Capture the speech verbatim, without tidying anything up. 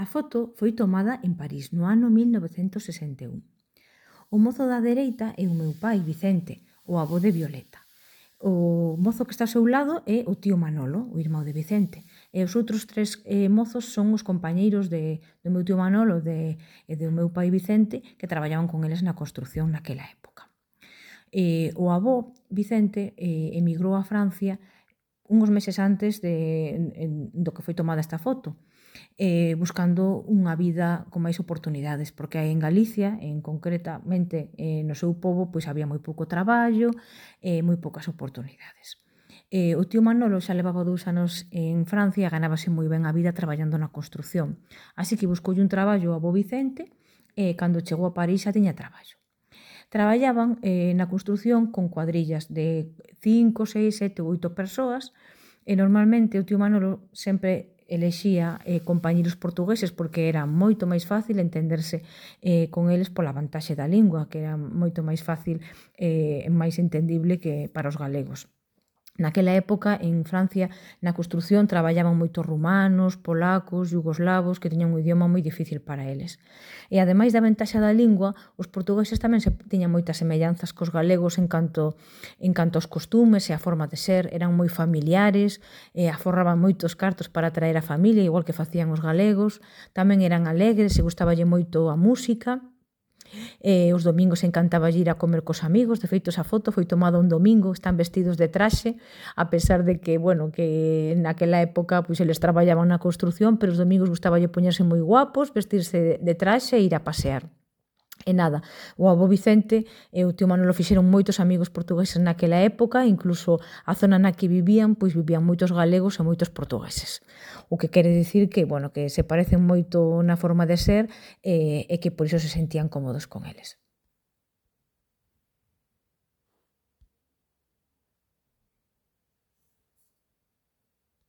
A foto foi tomada en París no ano mil novecentos sesenta e un. O mozo da dereita é o meu pai, Vicente, o avó de Violeta. O mozo que está ao seu lado é o tío Manolo, o irmão de Vicente. E os outros tres eh, mozos son os compañeiros de, do meu tío Manolo de, e do meu pai Vicente que traballaban con eles na construción naquela época. E, o avó, Vicente, eh, emigrou a Francia uns meses antes de, en, do que foi tomada esta foto, eh, buscando unha vida con máis oportunidades, porque aí en Galicia, en concretamente eh, no seu pobo, pois había moi pouco traballo e eh, moi poucas oportunidades. Eh, o tío Manolo xa levaba dous anos en Francia e ganábase moi ben a vida traballando na construción. Así que buscoulle un traballo ao avó Vicente e cando chegou a París xa tiña traballo. Traballaban eh, na construción con cuadrillas de cinco, seis, sete ou oito persoas e normalmente o tío Manolo sempre elexía eh, compañeros portugueses porque era moito máis fácil entenderse eh, con eles pola vantaxe da lingua, que era moito máis fácil e eh, máis entendible que para os galegos. Naquela época, en Francia, na construción traballaban moitos rumanos, polacos, yugoslavos, que tiñan un idioma moi difícil para eles. E ademais da ventaxa da lingua, os portugueses tamén se tiñan moitas semellanzas cos galegos en canto, en canto aos costumes e a forma de ser, eran moi familiares, e aforraban moitos cartos para atraer a familia, igual que facían os galegos, tamén eran alegres e gustaballe moito a música. E os domingos encantaba ir a comer cos amigos, de feito esa foto foi tomada un domingo, están vestidos de traxe, a pesar de que, bueno, que naquela época pois eles traballaban na construción, pero os domingos gustaballe poñerse moi guapos, vestirse de traxe e ir a pasear. E nada, o avó Vicente e o tío Manolo fixeron moitos amigos portugueses naquela época, incluso a zona na que vivían, pois vivían moitos galegos e moitos portugueses. O que quere dicir que, bueno, que se parecen moito na forma de ser e, e que por iso se sentían cómodos con eles.